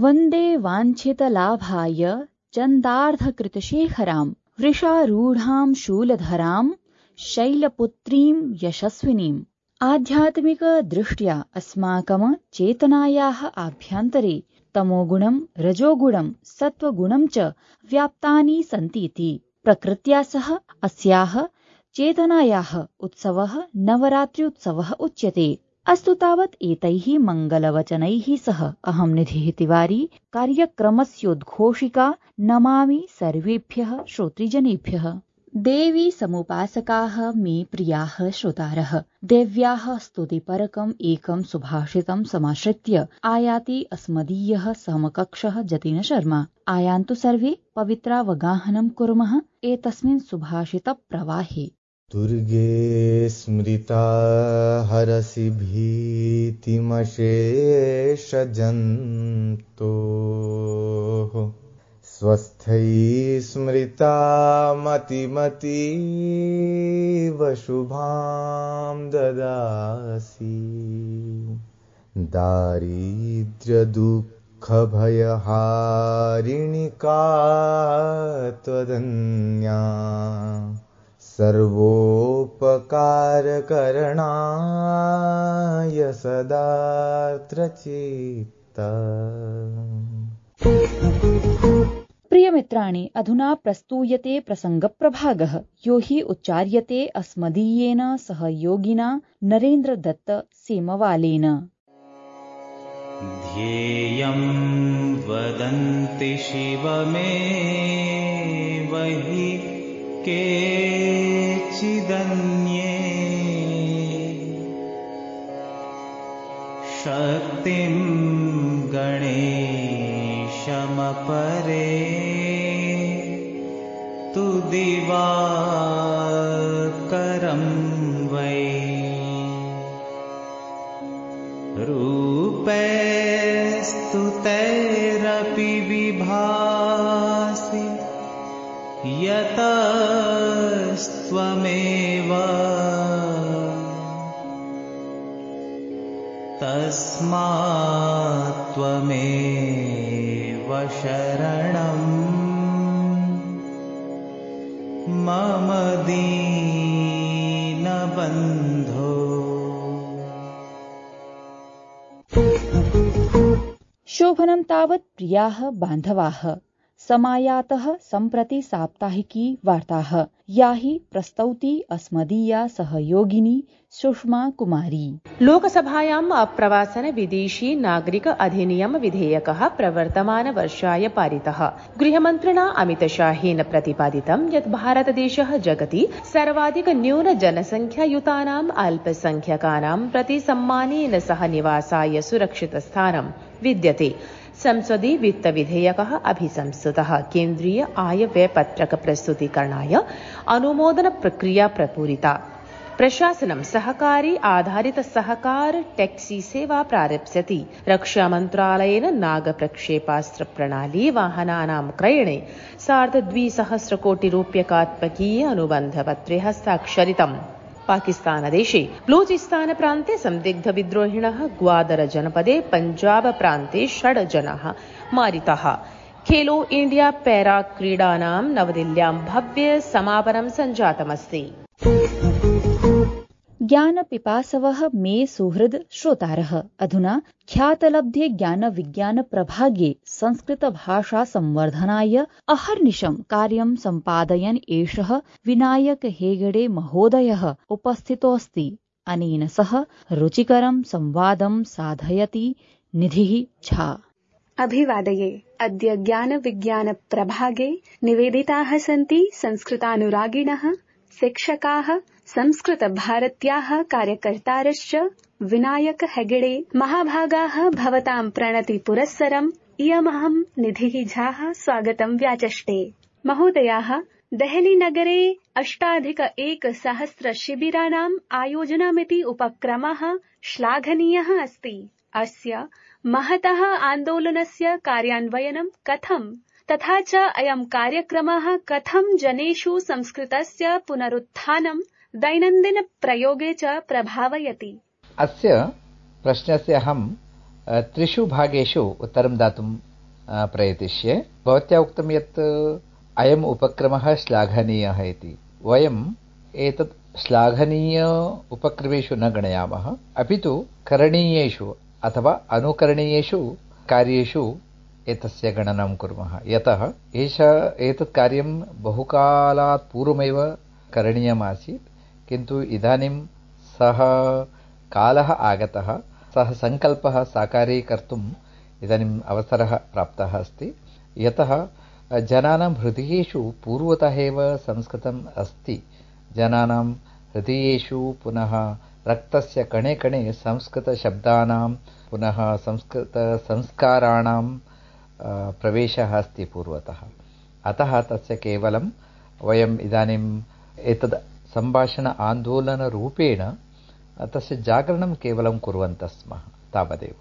वन्दे वाञ्छितलाभाय चन्दार्धकृतशेखराम् वृषारूढां शूलधरां शैलपुत्रीं यशस्विनीम्। आध्यात्मिकदृष्ट्या अस्माकं चेतनायाः आभ्यन्तरे तमोगुणं रजोगुणं सत्त्वगुणं च व्याप्तानि सन्तीति प्रकृत्या सह अस्याः चेतनायाः उत्सवः नवरात्र्युत्सवः उच्यते। अस्तु तावत् एतैः मङ्गलवचनैः सह अहं निधिः तिवारी कार्यक्रमस्योद्घोषिका नमामि सर्वेभ्यः श्रोतृजनेभ्यः। देवी समुपासकाः मे प्रियाः श्रोतारः, देव्याः स्तुतिपरकम् एकं सुभाषितं समाश्रित्य आयाति अस्मदीयः समकक्षः जतिन शर्मा। आयान्तु सर्वे पवित्रावगाहनं कुर्मः एतस्मिन् सुभाषितप्रवाहे। दुर्गे स्मृता हरसि भीतिमशेषजन्तोः स्वस्थै स्मृता मतिमतीव शुभां ददासि। दारिद्र्यदुःखभयहारिणि का त्वदन्या सर्वोपकारकरणाय सदार्द्रचित्ता। प्रियमित्राणि, अधुना प्रस्तूयते प्रसङ्गप्रभागः, यो हि उच्चार्यते अस्मदीयेन सहयोगिना नरेन्द्रदत्त सेमवालेन। ध्येयं वदन्ति शिवमेव हि केचिदन्ये शक्तिं गणेशमपरे तु दिवाकरं वै रूपैस्तु तैरपि विभासि यतस्त्वमेव तस्मात् त्वमेव शरणं मम दीनबन्धो। शोभनं तावत् प्रियाः बान्धवाः, समायातः सम्प्रति साप्ताहिकी वार्ताः, या हि प्रस्तौति अस्मदीया सहयोगिनी सुषमा कुमारी। लोकसभायाम् अप्रवासन विदेशी नागरिक अधिनियम विधेयकः प्रवर्तमान वर्षाय पारितः। गृहमन्त्रिणा अमितशाहेन प्रतिपादितं यत् भारतदेशः जगति सर्वाधिक न्यून जनसंख्यायुतानाम् अल्पसंख्यकानां प्रति सम्मानेन सह निवासाय सुरक्षितस्थानं विद्यते। संसदि वित्तविधेयकः अभिसंस्तुतः। केन्द्रीय आयव्ययपत्रक प्रस्तुतीकरणाय अनुमोदन प्रक्रिया प्रपूरिता। प्रशासनं सहकारी आधारित सहकार टैक्सी सेवा प्रारप्स्यति। रक्षामन्त्रालयेन नागप्रक्षेपास्त्र प्रणाली वाहनानां क्रयणे 250 कोटिरूप्यकात्मकीय अनुबन्धपत्रे हस्ताक्षरितम्। पाकिस्तानदेशे बलूचिस्तान प्रान्ते संदिग्ध विद्रोहिणः ग्वादर जनपदे पंजाब प्रान्ते 6 जनाः मारिताः। खेलो इंडिया पैरा क्रीडानां नवदिल्ल्यां भव्य समापनं सञ्जातमस्ति। ज्ञानपिपासवः मे सुहृद श्रोतारः, अधुना ख्यातलब्धे ज्ञानविज्ञान प्रभागे संस्कृतभाषा संवर्धनाय अहर्निशं कार्यं सम्पादयन् एषः विनायक हेगडे महोदयः उपस्थितोऽस्ति। अनेन सह रुचिकरं संवादं साधयति निधिः झा। अभिवादये। अद्य ज्ञानविज्ञान प्रभागे निवेदिताः सन्ति संस्कृतानुरागिणः, शिक्षकाः, संस्कृतभारत्याः कार्यकर्तारश्च विनायक हेगडे महाभागाः। भवतां प्रणति पुरस्सरम् इयमहं निधिः झाः स्वागतं व्याचष्टे। महोदयाः, देहलीनगरे 8,100 शिबिराणाम् आयोजनमिति उपक्रमः श्लाघनीयः अस्ति। अस्य महतः आन्दोलनस्य कार्यान्वयनं कथं, तथा च अयं कार्यक्रमः कथं जनेषु संस्कृतस्य पुनरुत्थानं दैनन्दिन प्रयोगे च प्रभावयति? अस्य प्रश्नस्य अहं 3 भागेषु उत्तरं दातुं प्रयतिष्ये। भवत्या उक्तं यत् अयम् उपक्रमः श्लाघनीयः इति। वयम् एतत् श्लाघनीय उपक्रमेषु न गणयामः, अपि तु करणीयेषु अथवा अनुकरणीयेषु कार्येषु एतस्य गणनं कुर्मः। यतः एतत् कार्यं बहुकालात् पूर्वमेव करणीयमासीत्, किन्तु इदानीं सः कालः आगतः, सः सङ्कल्पः साकारीकर्तुम् इदानीम् अवसरः प्राप्तः अस्ति। यतः जनानां हृदयेषु पूर्वतः एव संस्कृतम् अस्ति। जनानां हृदयेषु पुनः रक्तस्य कणे कणे संस्कृतशब्दानां पुनः संस्कृतसंस्काराणां प्रवेशः अस्ति पूर्वतः। अतः तस्य केवलं वयम् इदानीम् एतद् सम्भाषण आन्दोलनरूपेण तस्य जागरणं केवलं कुर्वन्तः स्मः, तावदेव।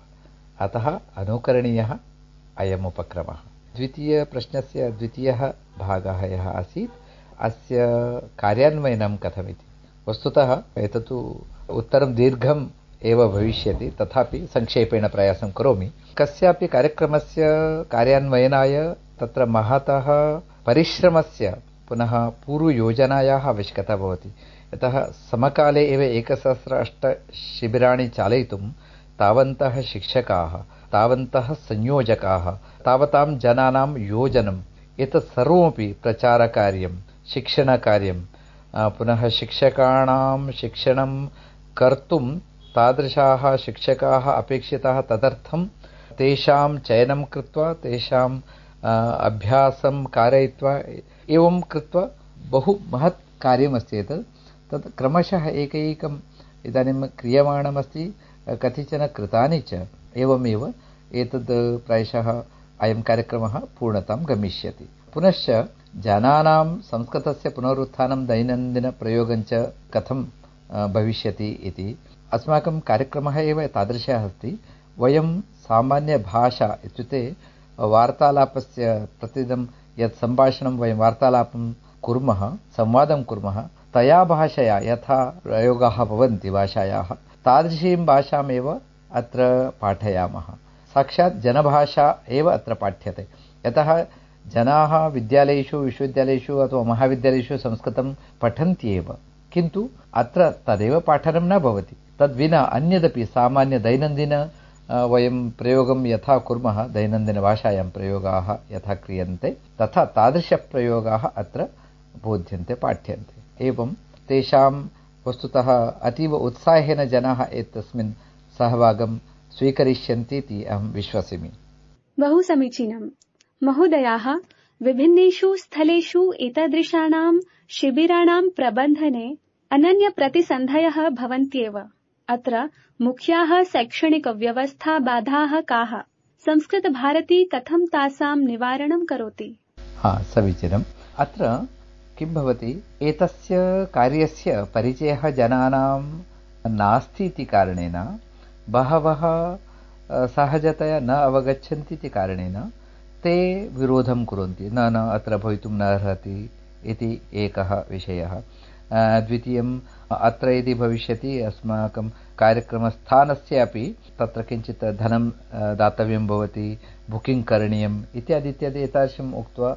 अतः अनुकरणीयः अयम् उपक्रमः। द्वितीयप्रश्नस्य द्वितीयः भागः यः आसीत्, अस्य कार्यान्वयनं कथमिति। वस्तुतः एतत् उत्तरं दीर्घम् एव भविष्यति, तथापि संक्षेपेण प्रयासं करोमि। कस्यापि कार्यक्रमस्य कार्यान्वयनाय तत्र महतः परिश्रमस्य पुनः पूर्वयोजनायाः आवश्यकता भवति। यतः समकाले एव 1008 शिबिराणि चालयितुं तावन्तः शिक्षकाः, तावन्तः संयोजकाः, तावतां जनानां योजनम्, एतत् सर्वमपि प्रचारकार्यं, शिक्षणकार्यं, पुनः शिक्षकाणां शिक्षणं कर्तुं तादृशाः शिक्षकाः अपेक्षिताः। तदर्थं तेषां चयनं कृत्वा तेषाम् अभ्यासं कारयित्वा एवं कृत्वा बहु महत् कार्यमस्ति एतत्। तत् क्रमशः एकैकम् इदानीं क्रियमाणमस्ति, कतिचन कृतानि च। एवमेव एतद् प्रायशः अयं कार्यक्रमः पूर्णतां गमिष्यति। पुनश्च जनानां संस्कृतस्य पुनरुत्थानं दैनन्दिनप्रयोगं च कथं भविष्यति इति अस्माकं कार्यक्रमः एव तादृशः अस्ति। वयं सामान्यभाषा इत्युक्ते वार्तालापस्य प्रतिदिनं यत् सम्भाषणं वयं वार्तालापं कुर्मः, संवादं कुर्मः, तया भाषया यथा प्रयोगाः भवन्ति भाषायाः, तादृशीं भाषामेव अत्र पाठयामः। साक्षात् जनभाषा एव अत्र पाठ्यते। यतः जनाः विद्यालयेषु, विश्वविद्यालयेषु अथवा महाविद्यालयेषु संस्कृतं पठन्ति एव, किन्तु अत्र तदेव पाठनं न भवति। तद्विना अन्यदपि सामान्य दैनन्दिन वयं प्रयोगं यथा कुर्मः, दैनन्दिनभाषायां प्रयोगाः यथा क्रियन्ते तथा तादृशप्रयोगाः अत्र बोध्यन्ते, पाठ्यन्ते। एवं तेषां वस्तुतः अतीव उत्साहेन जनाः एतस्मिन् सहभागं स्वीकरिष्यन्ति इति अहं विश्वसिमि। बहु समीचीनम्। महोदयाः, विभिन्नेषु स्थलेषु एतादृशानां शिबिराणां प्रबन्धने अनन्यप्रतिसन्धयः भवन्त्येव। अत्र मुख्याः शैक्षणिकव्यवस्था बाधाः काः? संस्कृतभारती कथं तासां निवारणं करोति? समीचीनम्। अत्र किं भवति, एतस्य कार्यस्य परिचयः जनानां नास्ति इति कारणेन बहवः सहजतया न अवगच्छन्ति इति कारणेन ते विरोधं कुर्वन्ति। न अत्र भवितुं न अर्हति इति एकः विषयः। द्वितीयम्, अत्र यदि भविष्यति अस्माकं कार्यक्रमस्थानस्य अपि तत्र किञ्चित् धनं दातव्यं भवति, बुकिङ्ग् करणीयम् इत्यादि इत्यादि एतादृशम् उक्त्वा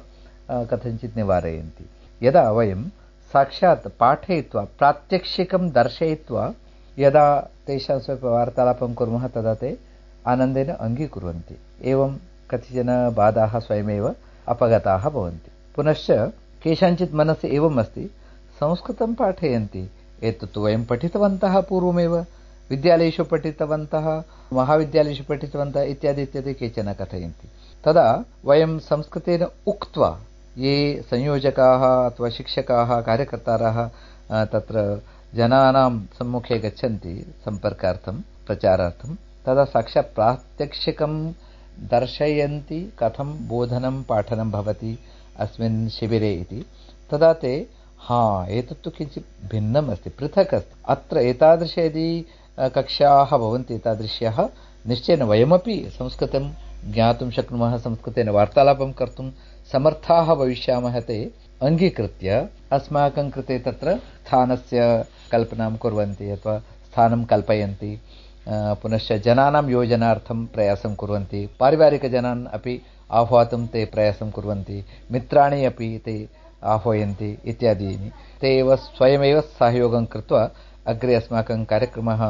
कथञ्चित् निवारयन्ति। यदा वयं साक्षात् पाठयित्वा प्रात्यक्षिकं दर्शयित्वा यदा तेषां वार्तालापं कुर्मः तदा ते आनन्देन अङ्गीकुर्वन्ति। एवं कतिचन बाधाः स्वयमेव अपगताः भवन्ति। पुनश्च केषाञ्चित् मनसि एवम् अस्ति, संस्कृतं पाठयन्ति, एतत् वयं पठितवन्तः पूर्वमेव, विद्यालयेषु पठितवन्तः, महाविद्यालयेषु पठितवन्तः इत्यादि इत्यादि केचन कथयन्ति। तदा वयं संस्कृतेन उक्त्वा ये संयोजकाः अथवा शिक्षकाः, कार्यकर्तारः तत्र जनानां सम्मुखे गच्छन्ति सम्पर्कार्थं, प्रचारार्थं, तदा साक्षात् प्रात्यक्षिकं दर्शयन्ति कथं बोधनं पाठनं भवति अस्मिन् शिबिरे इति। तदा ते एतत्तु किञ्चित् भिन्नम् अस्ति, पृथक् अस्ति, अत्र एतादृश यदि कक्षाः भवन्ति एतादृश्यः, निश्चयेन वयमपि संस्कृतं ज्ञातुं शक्नुमः, संस्कृतेन वार्तालापं कर्तुं समर्थाः भविष्यामः। ते अङ्गीकृत्य अस्माकं कृते तत्र स्थानस्य कल्पनां कुर्वन्ति अथवा स्थानं कल्पयन्ति। पुनश्च जनानां योजनार्थं प्रयासं कुर्वन्ति, पारिवारिकजनान् अपि आह्वातुं ते प्रयासं कुर्वन्ति, मित्राणि अपि ते आह्वयन्ति इत्यादीनि। ते एव स्वयमेव सहयोगं कृत्वा अग्रे अस्माकं कार्यक्रमः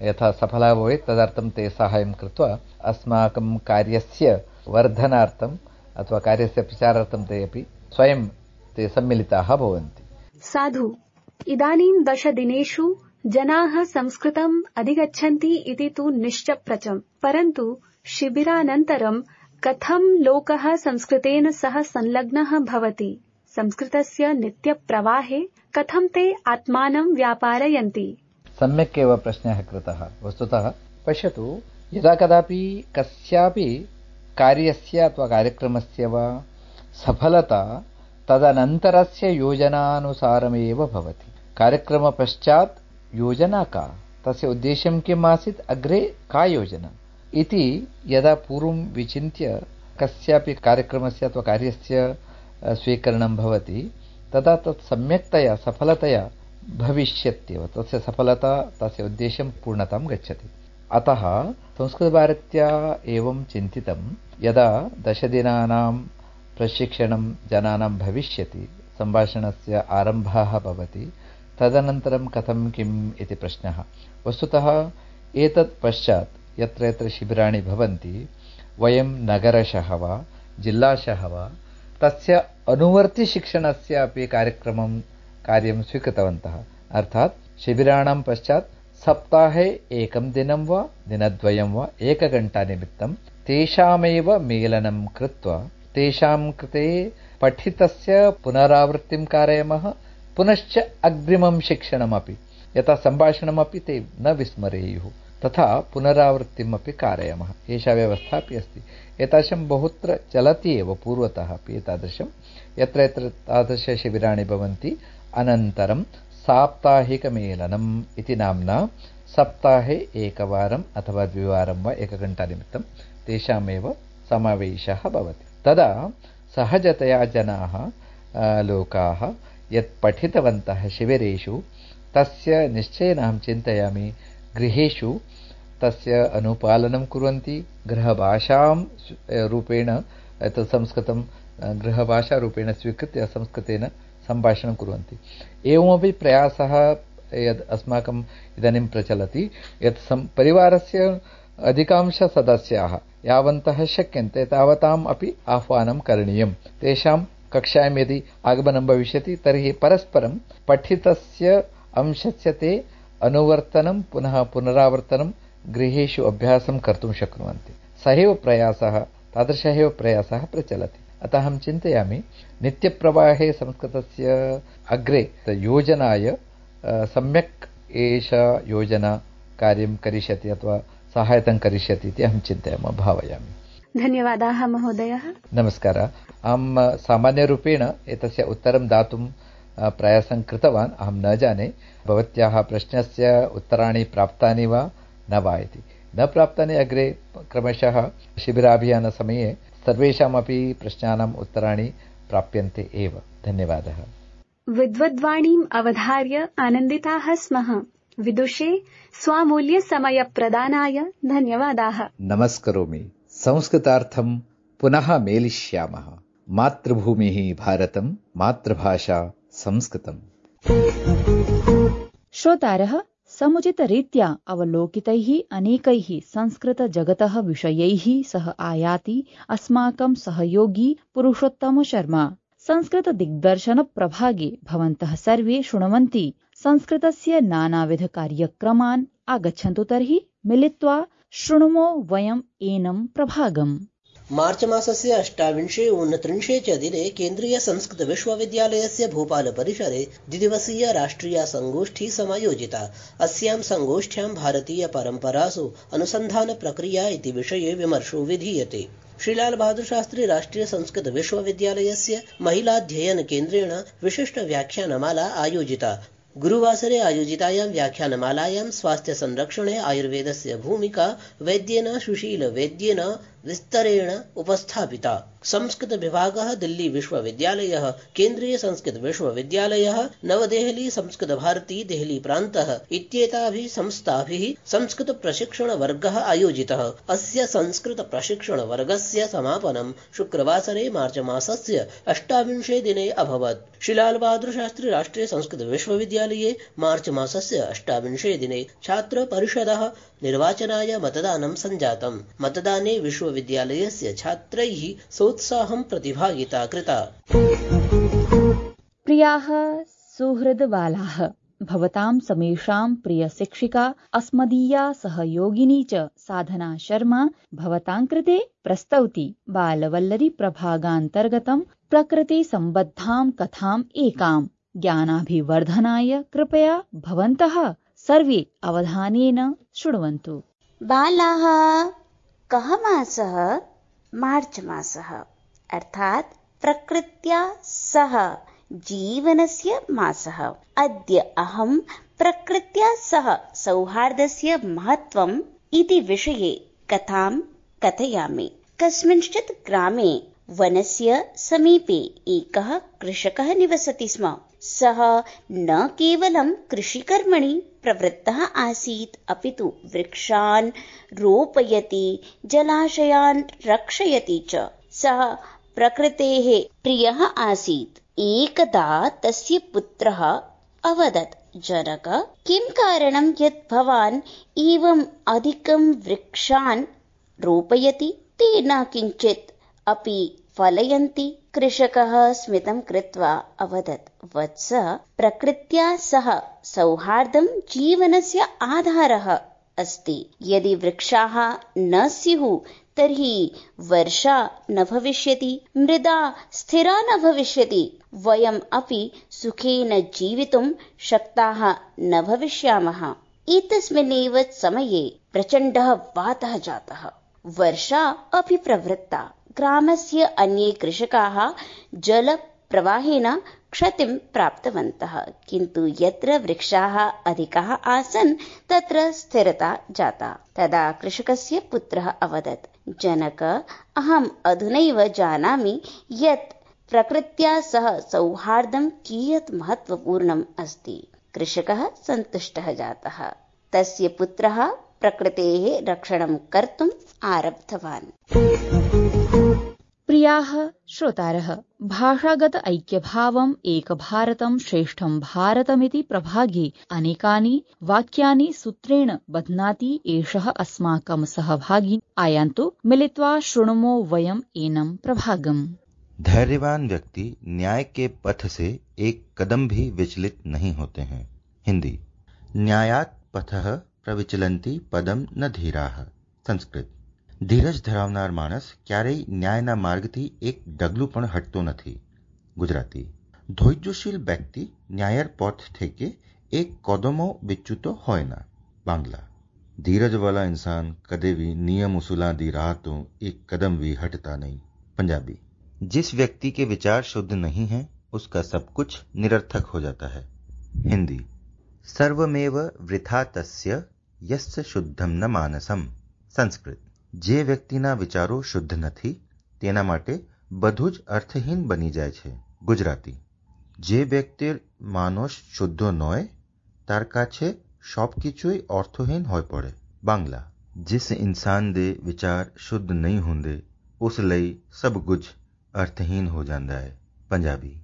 यथा सफलः भवेत् तदर्थं ते साहाय्यं कृत्वा अस्माकं कार्यस्य वर्धनार्थम् अथवा कार्यस्य प्रचारार्थं ते अपि स्वयं ते सम्मिलिताः भवन्ति। साधु। इदानीं 10 दिनेषु जनाः संस्कृतम् अधिगच्छन्ति इति तु निश्चप्रचम्, परन्तु शिबिरानन्तरं कथं लोकः संस्कृतेन सह संलग्नः भवति? संस्कृतस्य नित्यप्रवाहे कथं ते आत्मानं व्यापारयन्ति? सम्यक् एव प्रश्नः कृतः। वस्तुतः पश्यतु, यदा कदापि कस्यापि कार्यस्य अथवा कार्यक्रमस्य वा सफलता तदनन्तरस्य योजनानुसारमेव भवति। कार्यक्रमपश्चात् योजना का, तस्य उद्देश्यं किम् आसीत्, अग्रे का योजना इति यदा पूर्वं विचिन्त्य कस्यापि कार्यक्रमस्य अथवा कार्यस्य स्वीकरणं भवति तदा तत् सम्यक्तया सफलतया भविष्यत्येव। तस्य सफलता, तस्य उद्देश्यं पूर्णतां गच्छति। अतः संस्कृतभारत्या एवं चिन्तितं, यदा 10 दिनानां प्रशिक्षणं जनानां भविष्यति, सम्भाषणस्य आरम्भः भवति, तदनन्तरं कथं किम् इति प्रश्नः। वस्तुतः एतत् पश्चात् यत्र यत्र शिबिराणि भवन्ति, वयं नगरशः वा जिल्लाशः वा तस्य अनुवर्तिशिक्षणस्य अपि कार्यं स्वीकृतवन्तः। अर्थात् शिबिराणां पश्चात् सप्ताहे 1 दिनं वा दिनद्वयं वा 1 घण्टानिमित्तं तेषामेव मेलनं कृत्वा तेषां कृते पठितस्य पुनरावृत्तिं कारयामः, पुनश्च अग्रिमं शिक्षणमपि, यथा सम्भाषणमपि ते न विस्मरेयुः, तथा पुनरावृत्तिमपि कारयामः। एषा व्यवस्था अपि अस्ति। एतादृशं बहुत्र चलति एव पूर्वतः अपि एतादृशं। यत्र यत्र तादृशशिबिराणि भवन्ति, अनन्तरं साप्ताहिकमेलनम् इति नाम्ना सप्ताहे 1 वारम् अथवा 2 वारं वा 1 घण्टानिमित्तं तेषामेव समावेशः भवति। तदा सहजतया जनाः लोकाः यत् पठितवन्तः शिबिरेषु, तस्य निश्चयेन अहं चिन्तयामि गृहेषु तस्य अनुपालनं कुर्वन्ति। गृहभाषां रूपेण संस्कृतं गृहभाषारूपेण स्वीकृत्य संस्कृतेन सम्भाषणं कुर्वन्ति। एवमपि प्रयासः यद् अस्माकम् इदानीं प्रचलति, यत् परिवारस्य अधिकांशसदस्याः यावन्तः शक्यन्ते तावताम् अपि आह्वानं करणीयं। तेषां कक्षायां यदि आगमनं भविष्यति तर्हि परस्परं पठितस्य अंशस्य ते अनुवर्तनं पुनः पुनरावर्तनं गृहेषु अभ्यासं कर्तुं शक्नुवन्ति। सहैव प्रयासः, तादृशः एव प्रयासः प्रचलति। अतः अहं चिन्तयामि, नित्यप्रवाहे संस्कृतस्य अग्रे योजनाय सम्यक् एषा योजना कार्यं करिष्यति अथवा सहायतां करिष्यति इति अहं चिन्तयामि, भावयामि। धन्यवादाः महोदयः। नमस्कारः। अहं सामान्यरूपेण एतस्य उत्तरं दातुं प्रयासं कृतवान्। अहं न जाने भवत्याः प्रश्नस्य उत्तराणि प्राप्तानि वा न वा इति। न प्राप्तानि अग्रे क्रमशः शिबिराभियानसमये सर्वेषामपि प्रश्नानाम् उत्तराणि प्राप्यन्ते एव। धन्यवादः। विद्वद्वाणीम् अवधार्य आनन्दिताः स्मः। विदुषे स्वामूल्यसमयप्रदानाय धन्यवादाः। नमस्करोमि। संस्कृतार्थं पुनः मेलिष्यामः। मातृभूमिः भारतं, मातृभाषा संस्कृतम्। श्रोतारः, समुचितरीत्या अवलोकितैः अनेकैः संस्कृतजगतः विषयैः सह आयाति अस्माकं सहयोगी पुरुषोत्तम शर्मा। संस्कृतदिग्दर्शनप्रभागे भवन्तः सर्वे शृण्वन्ति संस्कृतस्य नानाविधकार्यक्रमान्। आगच्छन्तु तर्हि मिलित्वा शृणुमो वयम् एनं प्रभागम्। मार्च मासस्य 28-29 च दिने केन्द्रीय संस्कृत विश्वविद्यालयस्य भोपाल परिसरे द्विदिवसीय राष्ट्रिया संगोष्ठी समायोजिता। अस्यां संगोष्ठ्यां भारतीय परम्परासु अनुसन्धान प्रक्रिया इति विषये विमर्शो विधीयते। श्री लाल बहादुर शास्त्री राष्ट्रिय संस्कृत विश्वविद्यालयस्य महिलाध्ययन केन्द्रेण विशिष्ट व्याख्यानमाला आयोजिता। गुरुवासरे आयोजितायां व्याख्यानमालायां स्वास्थ्य संरक्षणे आयुर्वेदस्य भूमिका वैद्येन सुशील वैद्येन विस्तरेण उपस्थापिता। संस्कृत विभागः दिल्ली विश्वविद्यालयः, केन्द्रीय संस्कृत विश्वविद्यालयः, नवदेहली संस्कृत भारती देहली प्रान्तः इत्येताभिः संस्थाभिः संस्कृत प्रशिक्षण वर्गः आयोजितः। अस्य संस्कृत प्रशिक्षण वर्गस्य समापनं शुक्रवासरे मार्च मासस्य 28 दिने अभवत्। श्री लाल बहादुर शास्त्री राष्ट्रीय संस्कृत विश्वविद्यालये मार्च मासस्य 28 दिने छात्र परिषदः निर्वाचनाय मतदानं सञ्जातम्। मतदाने विश्वविद्यालयस्य छात्रैः सोत्साहं प्रतिभागिता कृता। प्रियाः सुहृदबालाः, भवतां समेषां प्रियशिक्षिका अस्मदीया सहयोगिनी च साधना शर्मा भवतां कृते प्रस्तौति बालवल्लरी प्रभागान्तर्गतं प्रकृतिसम्बद्धां कथाम् एकाम्। ज्ञानाभिवर्धनाय कृपया भवन्तः सर्वे अवधानेन शृण्वन्तु। बालाः, कः मासः? मार्च मासः, अर्थात् प्रकृत्या सह जीवनस्य मासः। अद्य अहं प्रकृत्या सह सौहार्दस्य महत्त्वम् इति विषये कथां कथयामि। कस्मिंश्चित् ग्रामे वनस्य समीपे एकः कृषकः निवसति स्म। सः न केवलं कृषिकर्मणि प्रवृत्तः आसीत्, अपितु वृक्षान् रोपयति, जलाशयान् रक्षयति च। सः प्रकृतेः प्रियः आसीत्। एकदा तस्य पुत्रः अवदत्, जनक, किं कारणं यत् भवान् एवम् अधिकं वृक्षान् रोपयति? ते न किञ्चित् अपि फलयन्ति। कृषकः स्मितं कृत्वा अवदत्, वत्स, प्रकृत्या सह सौहार्दं जीवनस्य आधारः अस्ति। यदि वृक्षाः न स्युः तर्हि वर्षा न भविष्यति, मृदा स्थिरा न भविष्यति, वयम् अपि सुखेन जीवितुं शक्ताः न भविष्यामः। एतस्मिन्नेव समये प्रचण्डः वातः जातः। वर्षा अपि प्रवृत्ता। ग्रामस्य अन्ये कृषकाः जलप्रवाहेन क्षतिं प्राप्तवन्तः, किन्तु यत्र वृक्षाः अधिकाः आसन् तत्र स्थिरता जाता। तदा कृषकस्य पुत्रः अवदत्, जनक, अहम् अधुनैव जानामि यत् प्रकृत्या सह सौहार्दं कियत् महत्त्वपूर्णम् अस्ति। कृषकः सन्तुष्टः जातः। तस्य पुत्रः प्रकृतेः रक्षणं कर्तुम् आरब्धवान्। प्रियाः श्रोतारः, भाषागत ऐक्यभावम् एकभारतं श्रेष्ठं भारतमिति प्रभागे अनेकानि वाक्यानि सूत्रेण बध्नाति एषः अस्माकं सहभागी। आयान्तु मिलित्वा शृणुमो वयम् एनं प्रभागम्। धैर्यवान व्यक्ति न्याय के पथ से एक कदम भी विचलित नहीं होते हैं। हिंदी। न्यायात् पथः प्रविचलन्ति पदम न धीराः। संस्कृत। ધીરજ ધરાવનાર માણસ ક્યારેય ન્યાયના માર્ગથી એક ડગલું પણ હટતો નથી. ગુજરાતી. ધૈર્યશીલ વ્યક્તિ ન્યાયર પથ થેકે એક કદમો વિચ્યુતો હોય ના. બાંગ્લા. ધીરજવાલા इंसान कदे भी नियम उसूलां दी राह तो एक कदम भी हटता नहीं. पंजाबी. जिस व्यक्ति के विचार शुद्ध नहीं है उसका सब कुछ निरर्थक हो जाता है. हिंदी. सर्वमेव वृथा तस्य यस्य शुद्धम न मानसम. संस्कृत. જે વ્યક્તિના વિચારો શુદ્ધ નથી તેના માટે બધું જ અર્થહીન બની જાય છે. ગુજરાતી. જે વ્યક્તિ માનસ શુદ્ધ નોય તાર કાછે સબ কিছুই অর্থহীন হয়ে পড়ে. बांग्ला. जिस इंसान दे विचार शुद्ध नहीं होंदे उस ਲਈ सब कुछ अर्थहीन हो जाता है. पंजाबी.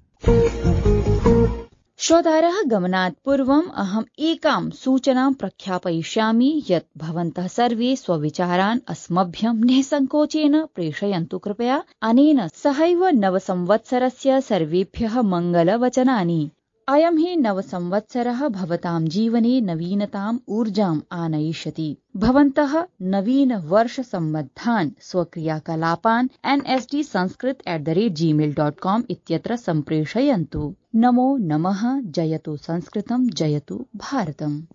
श्रोतारः, गमनात् पूर्वम् अहम् एकां सूचनां प्रख्यापयिष्यामि यत् भवन्तः सर्वे स्वविचारान् अस्मभ्यं निःसङ्कोचेन प्रेषयन्तु कृपया। अनेन सहैव नवसंवत्सरस्य सर्वेभ्यः मङ्गलवचनानि। अयं हि नवसंवत्सरः भवतां जीवने नवीनताम् ऊर्जाम् आनयिष्यति। भवन्तः नवीन वर्ष सम्बद्धान् स्वक्रियाकलापान् nsdsanskrit@gmail.com इत्यत्र सम्प्रेषयन्तु। नमो नमः। जयतु संस्कृतं, जयतु भारतम्।